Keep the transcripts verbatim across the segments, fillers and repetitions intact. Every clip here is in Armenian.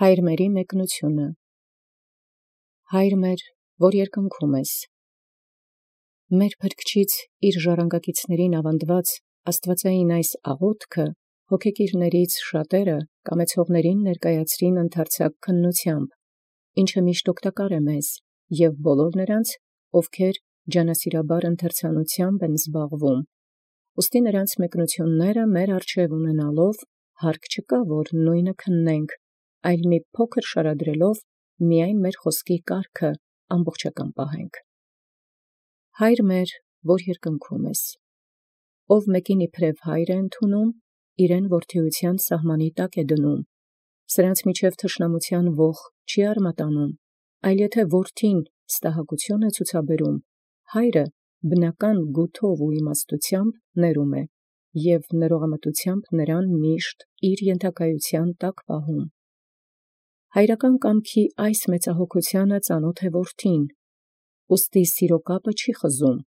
Հայր մերի մեկնությունը։ Հայր մեր, որ երկնքում ես, մեր փրկչից իր ժառանգակիցներին ավանդված աստվածային այս աղոթքը հոգեկիրներից շատերը կամեցողներին ներկայացրին ընդարձակ քննությամբ, ինչը միշտ օգտակար է մեզ և բոլոր նրանց, ովքեր ջանասիրաբար ընթերցանությամբ են զբաղվում, ուստի նրանց մեկնությունները մեր առջև ունենալով հարկ չկա, որ նույնը քննենք, այլ մի փոքր շարադրելով միայն մեր խոսքի կարգը ամբողջական պահենք։ Հայր մեր, որ երկնքում ես, ով մեկին իբրև հայր է ընդունում, իրեն որդիության սահմանի տակ է դնում, սրանց միջև թշնամության ոխ չի արմատանում, այլ եթե որդին ստահակություն է ցուցաբերում, հայրը բնական գութով ու իմաստությամբ ներում է և ներողամտությամբ նրան միշտ իր ենթակայության տակ պահում։ Հայրական կամքի այս մեծահոգությանը ծանոթ է որդին, ուստի սիրո կապը չի խզում,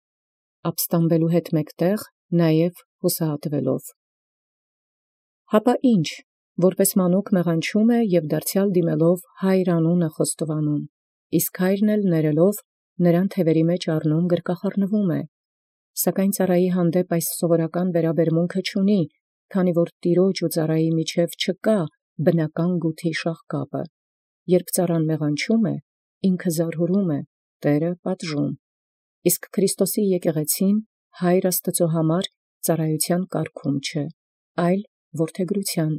ապստամբելու հետ մեկտեղ նաև հուսահատվելով։ Հապա ի՞նչ, որպես մանուկ մեղանչում է և դարձյալ դիմելով հայր անունը խոստովանում, իսկ հայրն էլ ներելով նրան թևերի մեջ առնում գրկախառնվում է, սակայն ծառայի հանդեպ այս սովորական վերաբերմունքը չունի, քանի որ տիրոջ ու ծառայի միջև չկա բնական գութի շաղկապը, երբ ծառան մեղանչում է, ինքը զարհուրում է, Տերը պատժում, իսկ Քրիստոսի եկեղեցին հայր Աստծո համար ծառայության կարգում չէ, այլ որդեգրության,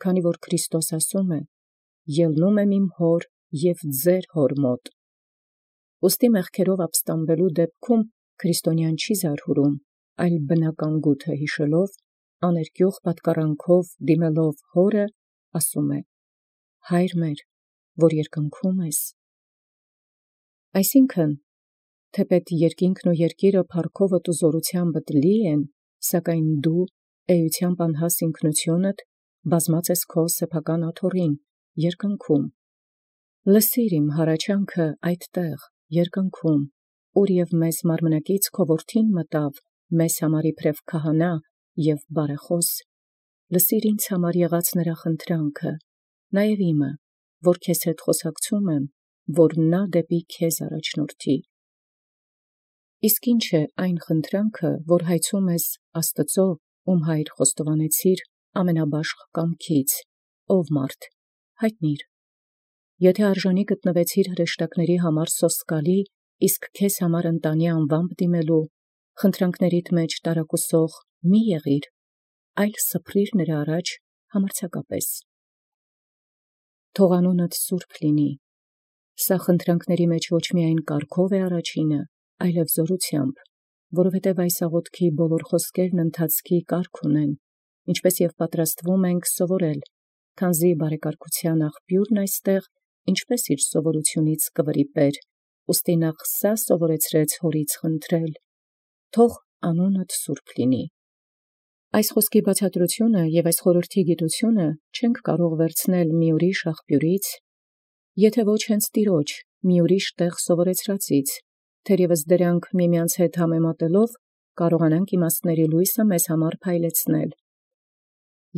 քանի որ Քրիստոս ասում է. «Ելնում եմ իմ հոր և ձեր հոր մոտ»։ Ուստի մեղքերով ապստամբելու դեպքում քրիստոնյան չի զարհուրում, այլ բնական գութը հիշելով, աներկյուղ պատկառանքով դիմելով հորը, ասում է. «Հայր մեր, որ երկնքում ես»։ Այսինքն, թեպետ երկինքն ու երկիրը փառքովդ ու զօրությանբդ լի են, սակայն դու էությամբ անհաս ինքնութիւնդ բազմած ես քո սեփական աթոռին, երկնքում։ Լսիր իմ հառաչանքը այդտեղ, երկնքում, ուր և մեզ մարմնակից քո որդին մտավ, մեզ համար իբրև քահանա և բարեխաւս, լսիր ինձ համար եղած նրա խնդրանքը, նաև իմը, որ քեզ հետ խոսակցում եմ, որ նա դեպի քեզ առաջնորդի։ Իսկ ի՞նչ է այն խնդրանքը, որ հայցում ես Աստծո, ում հայր խոստովանեցիր ամենաբաշխ կամքից, ով մարդ, հայտնիր։ Եթե արժանի գտնվեցիր հրեշտակների համար սոսկալի, իսկ քեզ համար ընտանի անվամբ դիմելու, խնդրանքներիդ մեջ տարակուսող մի եղիր, այլ սփռիր նրա առաջ համարձակապես։ Թող անունդ սուրբ լինի։ Սա խնդրանքների մեջ ոչ միայն կարգով է առաջինը, այլև զօրությամբ, որովհետև այս աղոթքի բոլոր խոսքերն ընթացքի կարգ ունեն, ինչպես և պատրաստվում ենք սովորել, քանզի բարեկարգության աղբյուրն այստեղ ինչպես իր սովորությունից կվրիպեր, ուստի նախ սա սովորեցրեց հորից խնդրել. թող անունդ սուրբ լինի։ Այս խոսքի բացատրությունը և այս խորհրդի գիտությունը չենք կարող վերցնել մի ուրիշ աղբյուրից, եթե ոչ հենց Տիրոջ մի ուրիշ տեղ սովորեցրածից, թերևս դրանք միմյանց հետ համեմատելով կարողանանք իմաստների լույսը մեզ համար փայլեցնել։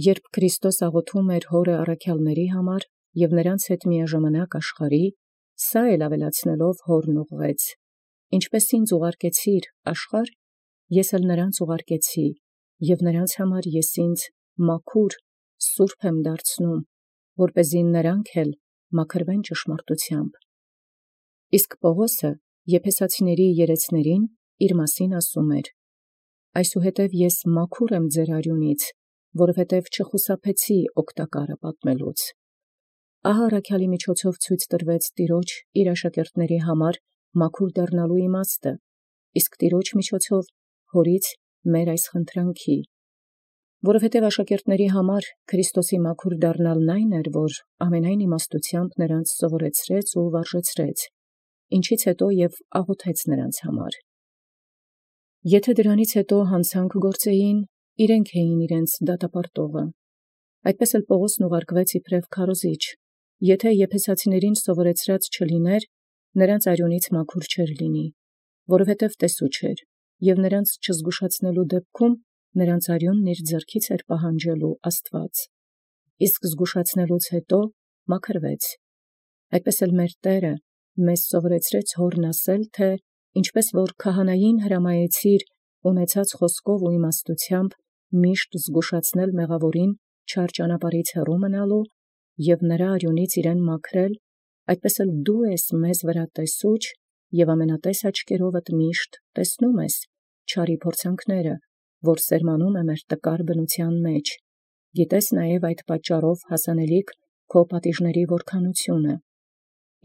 Երբ Քրիստոս աղոթում էր հորը առաքյալների համար և նրանց հետ միաժամանակ աշխարհի, սա էլ ավելացնելով հորն ուղղեց. «Ինչպես ինձ ուղարկեցիր աշխարհ, ես էլ նրանց ուղարկեցի, և նրանց համար ես ինձ մաքուր, սուրբ եմ դարձնում, որպեսզի նրանք էլ մաքրվեն ճշմարտությամբ»։ Իսկ Պողոսը Եփեսացիների երեցներին իր մասին ասում էր. «Այսուհետև ես մաքուր եմ ձեր արյունից, որովհետև չխուսափեցի օգտակարը պատմելուց»։ Ահա առաքյալի միջոցով ցույց տրվեց Տիրոջ իր աշակերտների համար մաքուր դառնալու իմաստը, իսկ Տիրոջ միջոցով հորից մեր այս խնդրանքի, որովհետև աշակերտների համար Քրիստոսի մաքուր դառնալն այն էր, որ ամենայն իմաստությամբ նրանց սովորեցրեց ու վարժեցրեց, ինչից հետո և աղոթեց նրանց համար։ Եթե դրանից հետո հանցանք գործեին, իրենք էին իրենց դատապարտողը։ Այդպես էլ Պողոսն ուղարկվեց իբրև քարոզիչ, եթե եփեսացիներին սովորեցրած չլիներ, նրանց արյունից մաքուր չէր լինի, որովհետև տեսու չէր, և նրանց չզգուշացնելու դեպքում նրանց արյունն իր ձեռքից էր պահանջելու Աստված, իսկ զգուշացնելուց հետո մաքրվեց։ Այդպես էլ մեր Տէրը մեզ սովորեցրեց հորն ասել, թէ ինչպես որ քահանային հրամայեցիր ունեցած խոսքով ու իմաստութեամբ միշտ զգուշացնել մեղավորին չար ճանապարհից հեռու մնալու և նրա արյունից իրեն մաքրել, այդպես էլ դու ես մեզ վրա տեսուչ և ամենատես աչքերովդ միշտ տեսնում ես չարի փորձանքները, որ սերմանում է մեր տկար բնութեան մեջ, գիտես նաև այդ պատճառով հասանելիք քո պատիժների որքանությունը։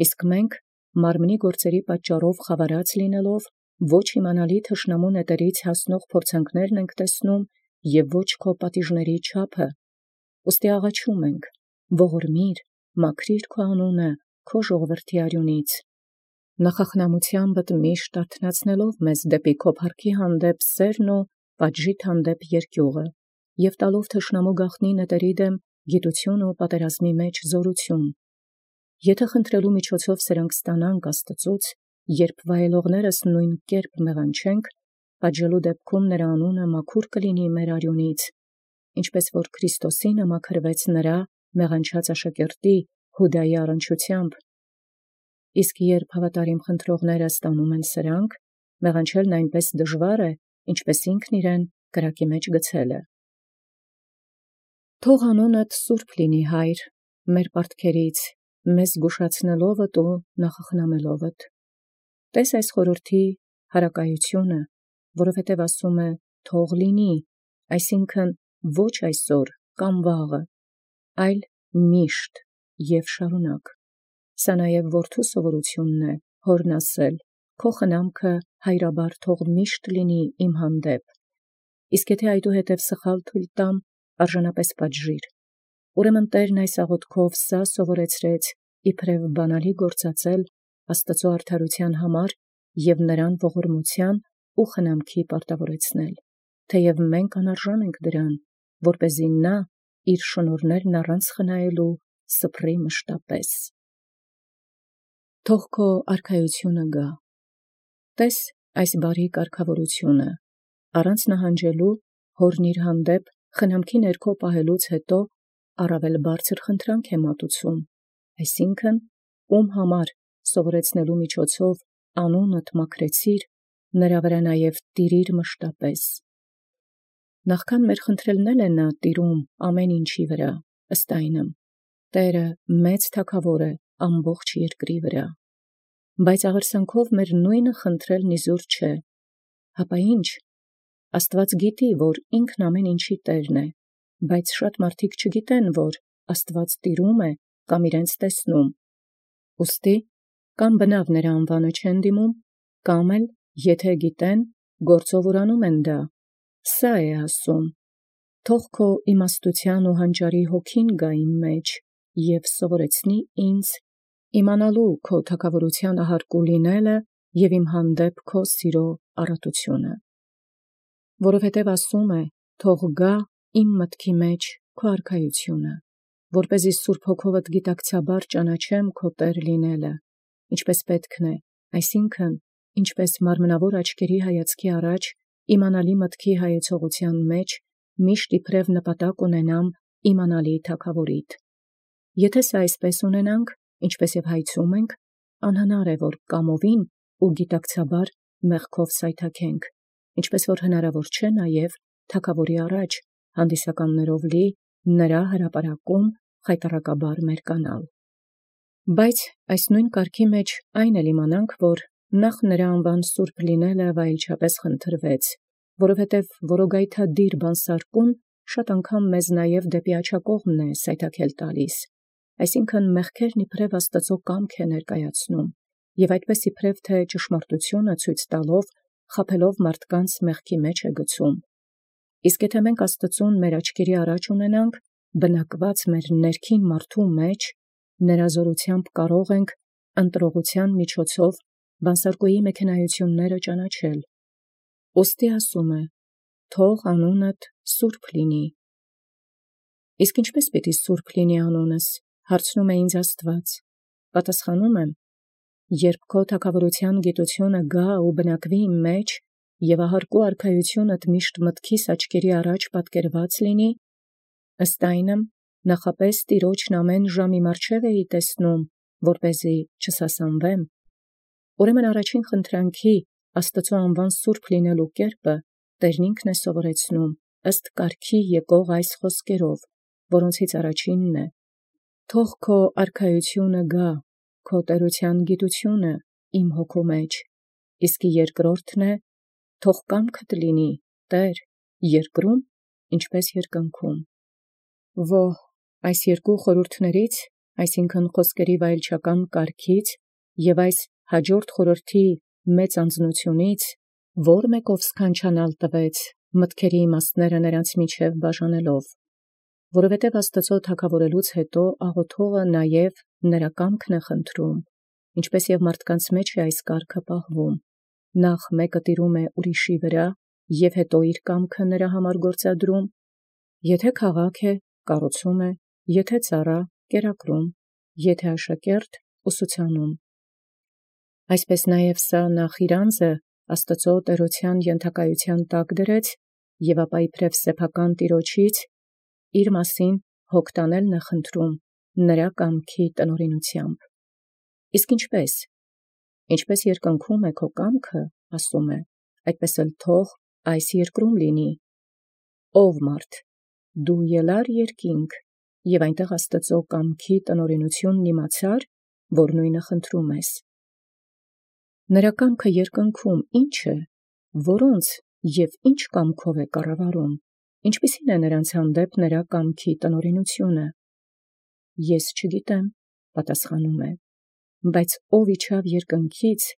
Իսկ մենք մարմնի գործերի պատճառով խավարած լինելով ոչ իմանալի թշնամու նետերից հասնող փորձանքներն ենք տեսնում և ոչ քո պատիժների չափը, ուստի աղաչում ենք, ողորմիր, մաքրիր քո անունը քո ժողովրդի արյունից, նախախնամութեամբդ միշտ արթնացնելով մեզ դեպի քո փառքի հանդեպ սերն ու պատժիդ հանդեպ երկյուղը և տալով թշնամու գաղտնի նետերի դեմ գիտություն ու պատերազմի մեջ զորություն։ Եթե խնդրելու միջոցով սրանք ստանանք Աստծուց, երբ վայելողներս նույն կերպ մեղանչենք, պատժելու դեպքում նրա անունը մաքուր կլինի մեր արյունից, ինչպես որ Քրիստոսինը մաքրվեց նրա մեղանչած աշակերտի Հուդայի առնչությամբ։ Իսկ երբ հավատարիմ խնդրողները ստանում են սրանք, մեղանչելն այնպես դժվար է, ինչպես ինքն իրեն կրակի մեջ գցելը։ Թող անունդ սուրբ լինի, Հայր, մեր պարտքերից, մեզ զգուշացնելովդ ու նախախնամելովդ։ Տես այս խորհրդի հարակայությունը, որովհետև ասում է թող լինի, այսինքն ոչ այսօր կամ վաղը, այլ միշտ և շարունակ։ Սա նաև որդու սովորությունն է, հորն ասել, քո խնամքը հայրաբար թող միշտ լինի իմ հանդեպ, իսկ եթե այդուհետև սխալ թույլ տամ, արժանապես պատժիր։ Ուրեմն Տերն այս աղոթքով սա սովորեցրեց իբրև բանալի գործածել Աստծու արդարության համար և նրան ողորմության ու խնամքի պարտավորեցնել, թեև մենք անարժան ենք դրան, որպեսզի նա իր շնորհներն առանց խնայելու սփռի մշտապես։ Թող քո արքայությունը գա։ Տես այս բարի կարգավորությունը, առանց նահանջելու հորն իր հանդեպ խնամքի ներքո պահելուց հետո առավել բարձր խնդրանք է մատուցում, այսինքն ում համար սովորեցնելու միջոցով անունդ մաքրեցիր, նրա վրա նաև տիրիր մշտապես։ Նախքան մեր խնդրելն է նա տիրում ամեն ինչի վրա, ըստ այնմ, Տէրը մեծ թագավոր է ամբողջ երկրի վրա, բայց աղերսանքով մեր նույնը խնդրելն իզուր չէ, հապա ի՞նչ, Աստված գիտի, որ ինքն ամեն ինչի Տերն է, բայց շատ մարդիկ չգիտեն, որ Աստված տիրում է կամ իրենց տեսնում, ուստի կամ բնավ նրա անվանը չեն դիմում, կամ էլ եթե գիտեն, գործով ուրանում են դա, սա է ասում. թող քո իմաստության ու հանճարի հոգին գա իմ մեջ և սովորեցնի ինձ իմանալու քո թագավորության ահարկու լինելը և իմ հանդեպ քո սիրո առատությունը։ Որովհետև ասում է. թող գա իմ մտքի մեջ քո արքայությունը, որպեսզի Սուրբ Հոգովդ գիտակցաբար ճանաչեմ քո Տեր լինելը, ինչպես պետքն է, այսինքն ինչպես մարմնավոր աչքերի հայացքի առաջ իմանալի մտքի հայեցողության մեջ միշտ իբրև նպատակ ունենամ իմանալի թագավորիդ։ Եթե սա այսպես ունենանք, ինչպես և հայցում ենք, անհնար է, որ կամովին ու գիտակցաբար մեղքով սայթաքենք, ինչպես որ հնարավոր չէ նաև թագավորի առաջ հանդիսականներով լի նրա հրապարակում խայտառակաբար մերկանալ։ Բայց այս նույն կարգի մեջ այն էլ իմանանք, որ նախ նրա անվան սուրբ լինելը վայելչապես խնդրվեց, որովհետև որոգայթադիր բանսարկուն շատ անգամ մեզ նաև դեպի աջակողմն է սայթաքել տալիս, այսինքն մեղքերն իբրև Աստծո կամք է ներկայացնում, և այդպես իբրև թե ճշմարտությունը ցույց տալով, խաբելով մարդկանց մեղքի մեջ է գցում։ Իսկ եթե մենք Աստծուն մեր աչքերի առաջ ունենանք, բնակված մեր ներքին մարդու մեջ, նրա զորությամբ կարող ենք ընտրողության միջոցով բանսարկուի մեքենայությունները ճանաչել։ Ուստի ասում է. թող անունդ սուրբ լինի։ Իսկ ինչպես պիտի սուրբ լինի անունս, հարցնում է ինձ Աստված։ Պատասխանում եմ. երբ քո թագավորության գիտությունը գա ու բնակվի իմ մեջ, և ահարկու արքայությունդ միշտ մտքիս աչքերի առաջ պատկերված լինի, ըստ այնմ նախապես տիրոջն ամեն ժամի մատչև էի տեսնում, որպեսզի չսասանվեմ։ Ուրեմն առաջին խնդրանքի Աստծու անվան սուրբ լինելու կերպը Տերն ինքն է սովորեցնում ըստ կարգի եկող այս խոսքերով, որոնցից առաջինն է. թող քո արքայությունը գա, քո տերության գիտությունը իմ հոգու մեջ, իսկ երկրորդն է. թող կամքդ լինի, Տեր, երկրում, ինչպես երկնքում։ Ոհ, այս երկու խորհուրդներից, այսինքն խոսքերի վայելչական կարգից և այս հաջորդ խորհրդի մեծ անձնությունից, որ մեկով սքանչանալ տվեց մտքերի իմաստները նրանց միջև բաժանելով, որովհետև Աստծու թագավորելուց հետո աղոթողը նաև նրա կամքն է խնդրում, ինչպես և մարդկանց մեջ է այս կարգը պահվում. նախ մեկը տիրում է ուրիշի վրա, և հետո իր կամքը նրա համար գործադրում, եթե քաղաք է, կառուցում է, եթե ծառա, կերակրում, եթե աշակերտ, ուսուցանում։ Այսպես նաև սա նախ իր անձը Աստծու տերության ենթակայության տակ դրեց, և ապա իբրև սեփական տիրոջից իր մասին հոգտանելն է խնդրում նրա կամքի տնօրինությամբ։ Իսկ ինչպես։ Ինչպես երկնքում է քո կամքը, ասում է, այդպես էլ թող այս երկրում լինի։ Ով մարդ, դու ելա՞ր երկինք, և այնտեղ Աստծու կամքի տնօրինությունն իմացա՞ր, որ նույնը խնդրում ես։ Նրա կամքը երկնքում ի՞նչ է, որոնց և ինչ կամքով է կառավարում, ինչպիսի՞ն է նրանց հանդեպ նրա կամքի տնօրինությունը։ Ես չգիտեմ, պատասխանում է, բայց ով իջավ երկնքից,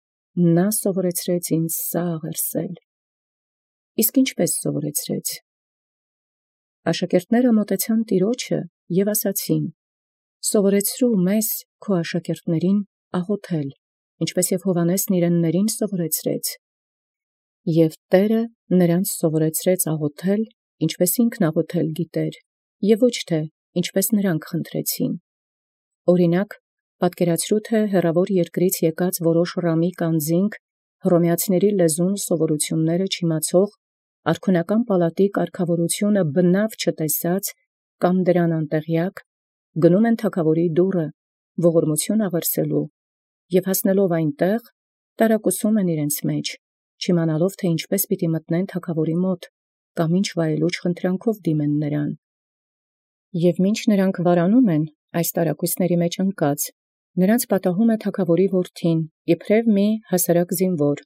նա սովորեցրեց ինձ սա աղերսել։ Իսկ ինչպես սովորեցրեց։ Աշակերտները մոտեցան տիրոջը և ասացին. սովորեցրու մեզ քո աշակերտներին աղոթել, ինչպես և Հովհաննեսն իրեններին սովորեցրեց։ Եւ Տէրը նրանց սովորեցրեց աղոթել, ինչպես ինքն աղոթել գիտեր, և ոչ թե ինչպես նրանք խնդրեցին։ Օրինակ, պատկերացրու թե հեռավոր երկրից եկած որոշ ռամիկ անձինք, հռոմեացիների լեզուն սովորությունները չիմացող, արքունական պալատի կարգավորությունը բնավ չտեսած կամ դրան անտեղյակ, գնում են թագավորի դուռը, ողորմություն աղերսելու, և հասնելով այնտեղ, տարակուսում են իրենց մեջ, չիմանալով թե ինչպես պիտի մտնեն թագավորի մոտ, կամ ինչ վայելուչ խնդրանքով դիմեն նրան։ Եվ մինչ նրանք վարանում են այս տարակուսների մեջ ընկած, նրանց պատահում է թագավորի որդին, իբրև մի հասարակ զինվոր,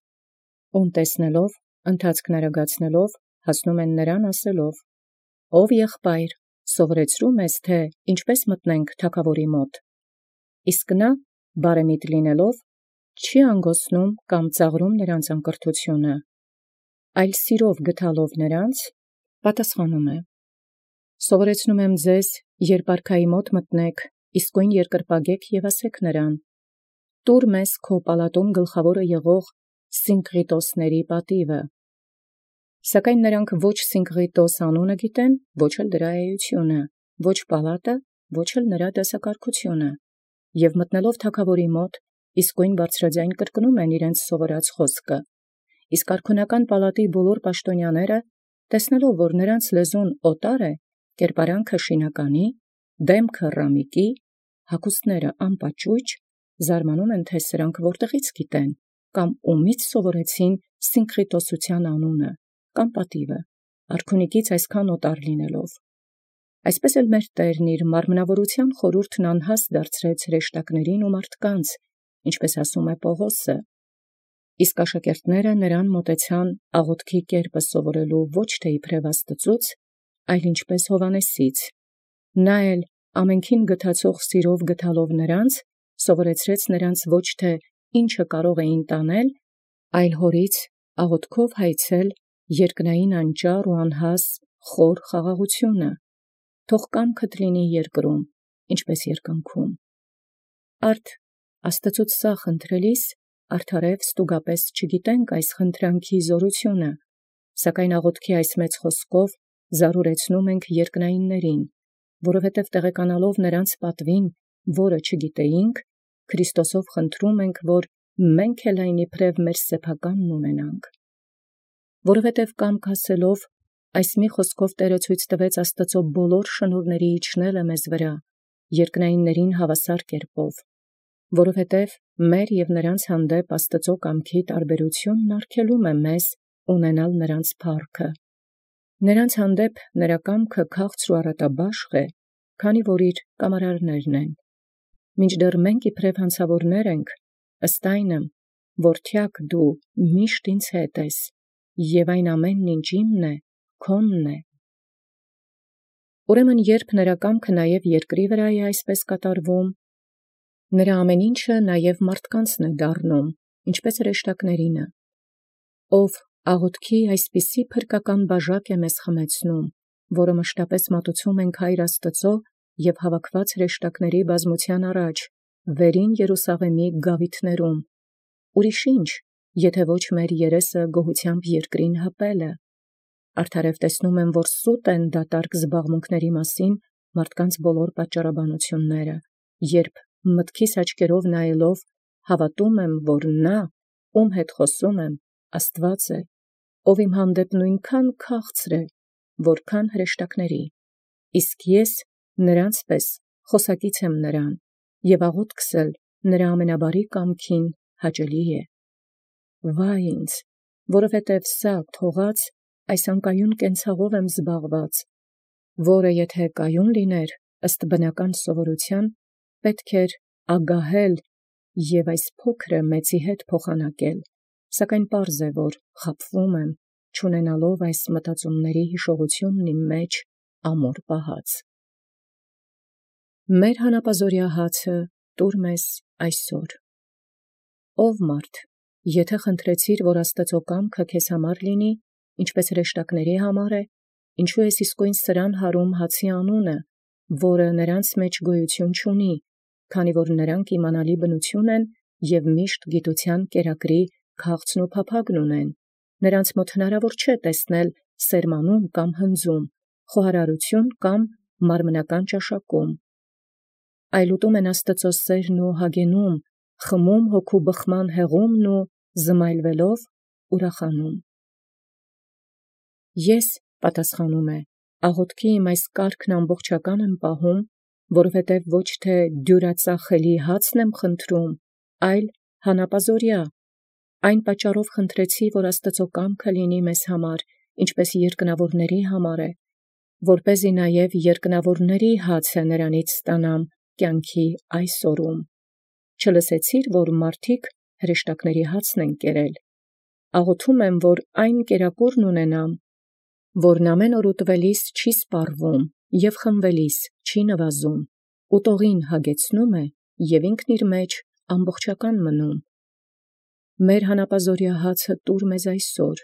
ում տեսնելով, ընթացքն արագացնելով, հասնում են նրան ասելով. «Ով եղբայր, սովորեցրու մեզ, թե ինչպես մտնենք թագավորի մոտ»։ Իսկ նա, բարեմիտ լինելով, չի անգոսնում կամ ծաղրում նրանց անկրթությունը, այլ սիրով գթալով նրանց, պատասխանում է. «Սովորեցնում եմ ձեզ, երբ արքայի մոտ մտնեք, իսկույն երկրպագեք և ասեք նրան. տուր մեզ քո պալատում գլխավորը եղող Սինկղիտոսների պատիվը։ Սակայն նրանք ոչ Սինկղիտոս անունը գիտեն, ոչ էլ դրա էությունը, ոչ պալատը, ոչ էլ նրա դասակարգությունը, և մտնելով թագավորի մոտ, իսկույն բարձրաձայն կրկնում են իրենց սովորած խոսքը, իսկ արքունական պալատի բոլոր պաշտոնյաները, տեսնելով, որ նրանց լեզուն օտար է, կերպարանքը շինականի, դեմքը ռամիկի, հագուստները անպաճույճ, զարմանում են, թե սրանք որտեղից գիտեն, կամ ումից սովորեցին Սինկղիտոսության անունը, կամ պատիվը, արքունիկից այսքան օտար լինելով։ Այսպես էլ մեր Տերն իր մարմնավորության խորհուրդն անհաստ դարձրեց հրեշտակներին ու մարդկանց, ինչպես ասում է Պողոսը։ Իսկ աշակերտները նրան մոտեցան աղոթքի կերպը սովորելու ոչ թե իբրև Աստծուց, այլ ինչպես Հովհաննեսից։ Նա էլ ամենքին գթացող սիրով գթալով նրանց, սովորեցրեց նրանց ոչ թե ինչը կարող էին տանել, այլ հորից աղոթքով հայցել երկնային անճառ ու անհաս խոր խաղաղությունը, թող կամքդ լինի երկրում, ինչպես երկնքում։ Արդ Աստծուց սա խնդրելիս, արդարև ստուգապես չգիտենք այս խնդրանքի զորությունը, սակայն աղոթքի այս մեծ խոսքով զարուրեցնում ենք երկնայիններին, որովհետև տեղեկանալով նրանց պատվին, որը չգիտեինք, Քրիստոսով խնդրում ենք, որ մենք էլ այն իբրև մեր սեփականն ունենանք։ Որովհետև կամք ասելով, Այս մի խոսքով Տէրը ցույց տուեց Աստուծոյ բոլոր շնորհացն իջնել մեզ վրա, երկնայինացն հաւասար կերպով, որովհետև մեր և նոցա հանդեպ Աստուծոյ կամքի տարբերութիւնն արգելում է մեզ ունենալ նոցա փառքը։ Նոցա հանդեպ նրա կամքը քաղցր ու առատաբաշխ է, քանի որ իր կամարարքն են։ Մինչդեռ մենք իբրև հանցաւորներ ենք, ըստ այնմ, որդեակ դու միշտ ինձ հետ ես, և այն ամենայն ինչ իմն է, քոնն է։ Ուրեմն երբ նրա կամքը նաև երկրի վրա է այսպես կատարվում, նրա ամեն ինչը նաև մարդկանցն է դառնում, ինչպես հրեշտակներինը, ով աղաւթքի այսպիսի փրկական բաժակ է մեզ խմեցնում, որը մշտապես մատուցում ենք Հայր Աստուծոյ և հավաքված հրեշտակների բազմութեան առաջ, վերին Երուսաղեմի գաւիթներում, ուրիշ ի՞նչ, եթէ ոչ մեր երեսը գոհութեամբ երկրին հպելը։ Արդարև տեսնում եմ, որ սուտ են դատարկ զբաղմունքների մասին մարդկանց բոլոր պատճառաբանութիւնները, երբ մտքիս աչքերով նայելով հաւատում եմ, որ նա, ում հետ խոսում եմ, Աստուած է, ով իմ հանդեպ նոյնքան քաղցր է, որքան հրեշտակների, իսկ ես նրանց պես խոսակից եմ նրան, և աղաւթքս էլ նրա ամենաբարի կամքին հաճելի է։ Վայ ինձ, որովհետև սա թողած այս անկայուն կենցաղով եմ զբաղված, որը եթէ կայուն լիներ ըստ բնական սովորութեան, պետք էր ագահել և այս փոքրը մեծի հետ փոխանակել, սակայն պարզ է, որ խաբվում եմ, չունենալով այս մտածումացն յիշողութիւնն իմ մեջ ամուր պահած։ Մեր հանապազօրյա հացը տուր մեզ այսօր։ Ով մարդ, եթէ խնդրեցիր, որ Աստուծոյ կամքը քեզ համար լինի, ինչպես հրեշտակների համար է, ինչու ես իսկոյն սրան հարում հացի անունը, որը նրանց մեջ գոյութիւն չունի, քանի որ նրանք իմանալի բնութիւն են և միշտ գիտութեան կերակրի քաղցն ու փափագն ունեն, նրանց մոտ հնարավոր չէ տեսնել սերմանում կամ հնձում, խոհարարութիւն կամ մարմնական ճաշակում, այլ ուտում են Աստուծոյ սերն ու հագենում, խմում հոգու բխման հեղումն ու զմայլվելով ուրախանում։ Ես, պատասխանում է, աղաւթքի իմ այս կարգն ամբողջական եմ պահում, որովհետև ոչ թե դիւրածախելի հացն եմ խնդրում, այլ հանապազօրյա. այն պատճառով խնդրեցի, որ Աստուծոյ կամքը լինի մեզ համար, ինչպես երկնաւորաց համար է, որպեսզի նաև երկնաւորաց հացը նրանից ստանամ կյանքի այս օրում։ Չլսեցի՞ր, որ մարդիկ հրեշտակների հացն են կերել։ Աղաւթում եմ, որ այն կերակուրն ունենամ, որն ամեն օր ուտվելիս չի սպառվում և խմվելիս չի նվազում, ուտողին հագեցնում է և ինքն իր մեջ ամբողջական մնում։ Մեր հանապազօրյա հացը տուր մեզ այսօր,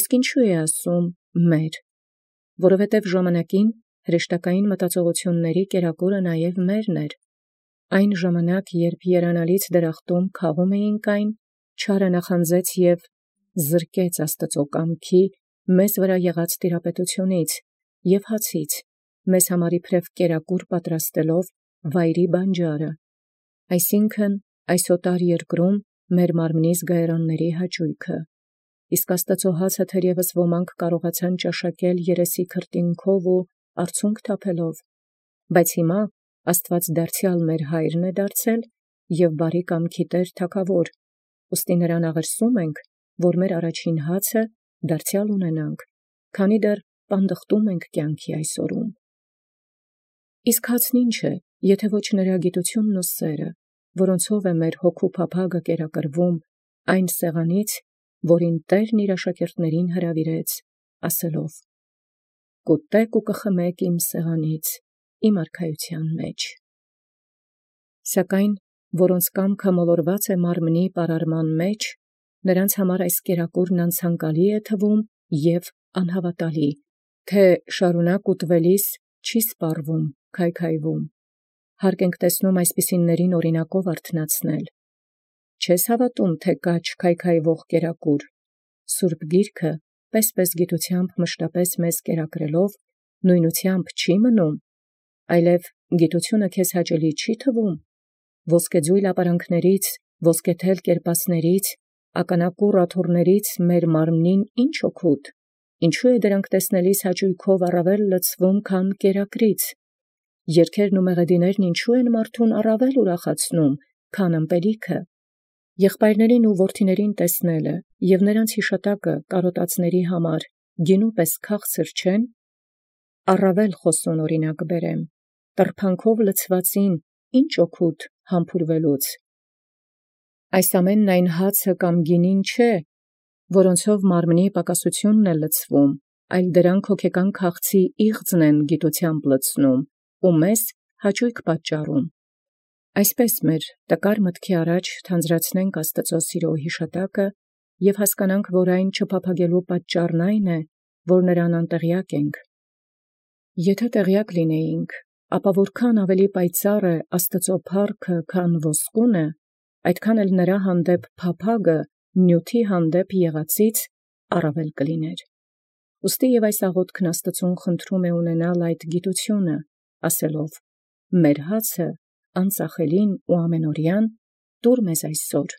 իսկ ինչո՞ւ է ասում մեր, որովհետև ժամանակին հրեշտակային մտածողութիւնացն կերակուրը նաև մերն էր։ Այն ժամանակ, երբ երանալից դրախտում քաղում էինք այն, չարը նախանձեց և զրկեց Աստուծոյ կամքի մեզ վրա եղած տիրապետութիւնից և հացից, մեզ համար իբրև կերակուր պատրաստելով վայրի բանջարը, այսինքն այս օտար երկրում մեր մարմնի զգայարանացն յաճոյքը, իսկ Աստուծոյ հացը թերևս ոմանք կարողացան ճաշակել երեսի քրտինքով ու արցունք թափելով, բայց հիմա Աստուած դարձեալ մեր Հայրն է դարձել և բարի կամքի Տէր Թագաւոր, ուստի նրան աղերսում ենք, որ մեր առաջին հացը դարձեալ ունենանք, քանի դեռ պանդխտում ենք կյանքի այս օրում։ Իսկ հացն ի՞նչ է, եթէ ոչ նրա գիտութիւնն ու սերը, որոնցով է մեր հոգու փափագը կերակրվում այն սեղանից, որին Տէրն իր աշակերտացն հրաւիրեց, ասելով. «Կուտէք ու կխմէք իմ սեղանից, իմ արքայութեան մեջ»։ Սակայն որոնց կամքը մոլորված է մարմնի պարարման մեջ, նրանց համար այս կերակուրն անցանկալի է թվում և անհաւատալի, թէ շարունակ ուտվելիս չի սպառվում, քայքայվում։ Հարկ ենք տեսնում այսպիսիներուն օրինակով արթնացնել։ Չես հաւատում, թէ կա չքայքայվող կերակուր։ Սուրբ Գիրքը պես-պես գիտութեամբ մշտապես մեզ կերակրելով, նոյնութեամբ չի մնում, այլև գիտութիւնը քեզ հաճելի չի թվում։ Ոսկեձոյլ ապարանքներից, ոսկեթել կերպասներից, ականակուռ աթոռներից մեր մարմնին ի՞նչ օգուտ, Ինչու է դրանք տեսնելիս հաճոյքով առավել լցվում, քան կերակրից. երգերն ու մեղեդիներն ինչու են մարդուն առավել ուրախացնում, քան ըմպելիքը. եղբայրներին ու որդիներին տեսնելը և նրանց յիշատակը կարոտածների համար գինու պես քաղցր չեն, առավել խոսուն օրինակ բերեմ, տրփանքով լցվածին ինչ օգուտ համբուրվելուց. այս ամենն այն հացը կամ գինին չէ, որոնցով մարմնի պակասությունն է լցվում, այլ դրանք հոգեկան քաղցի իղձն են գիտությամբ լցնում ու մեզ հաճոյք պատճառում։ Այսպես մեր տկար մտքի առաջ թանձրացնենք Աստուծո սիրո յիշատակը և հասկանանք, որ այն չփափագելու պատճառն այն է, որ նրան անտեղյակ ենք։ Եթե տեղյակ լինեինք, ապա որքան ավելի պայծառ է Աստուծո փառքը, քան ոսկունը, այդքան էլ նրա հանդեպ փափագը նյութի հանդեպ եղածից առավել կլիներ։ Ուստի և այս աղոթքն Աստծուն խնդրում է ունենալ այդ գիտությունը, ասելով. «Մեր հացը անծախելին ու ամենօրյան տուր մեզ այսօր,